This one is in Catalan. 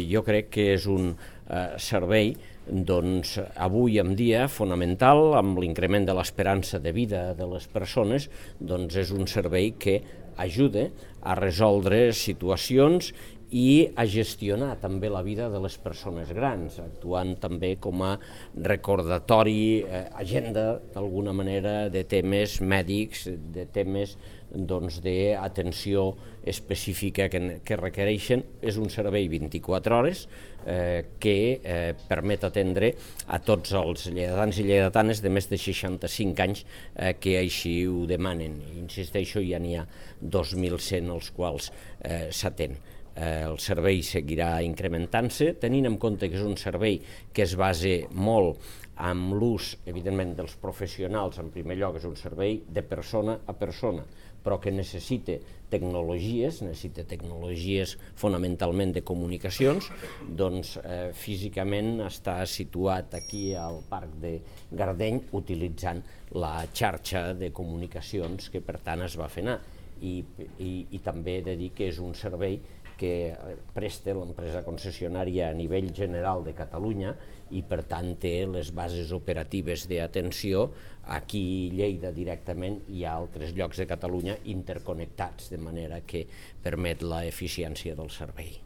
Jo crec que és un servei avui en dia fonamental, amb l'increment de l'esperança de vida de les persones, és un servei que ajuda a resoldre situacions i a gestionar també la vida de les persones grans, actuant també com a recordatori, agenda d'alguna manera de temes mèdics, de temes d'atenció específica que requereixen. És un servei 24 hores que permet atendre a tots els lleidatans i lleidatanes de més de 65 anys que així ho demanen. Insisteixo, ja n'hi ha 2.100 els quals s'atén. El servei seguirà incrementant-se, tenint en compte que és un servei que es basa molt amb l'ús, evidentment, dels professionals. En primer lloc, és un servei de persona a persona, però que necessita tecnologies fonamentalment de comunicacions. Físicament està situat aquí al Parc de Gardeny utilitzant la xarxa de comunicacions que per tant es va fer anar. I també he de dir que és un servei que presta l'empresa concessionària a nivell general de Catalunya i per tant té les bases operatives d'atenció aquí a Lleida directament i a altres llocs de Catalunya interconnectats, de manera que permet l'eficiència del servei.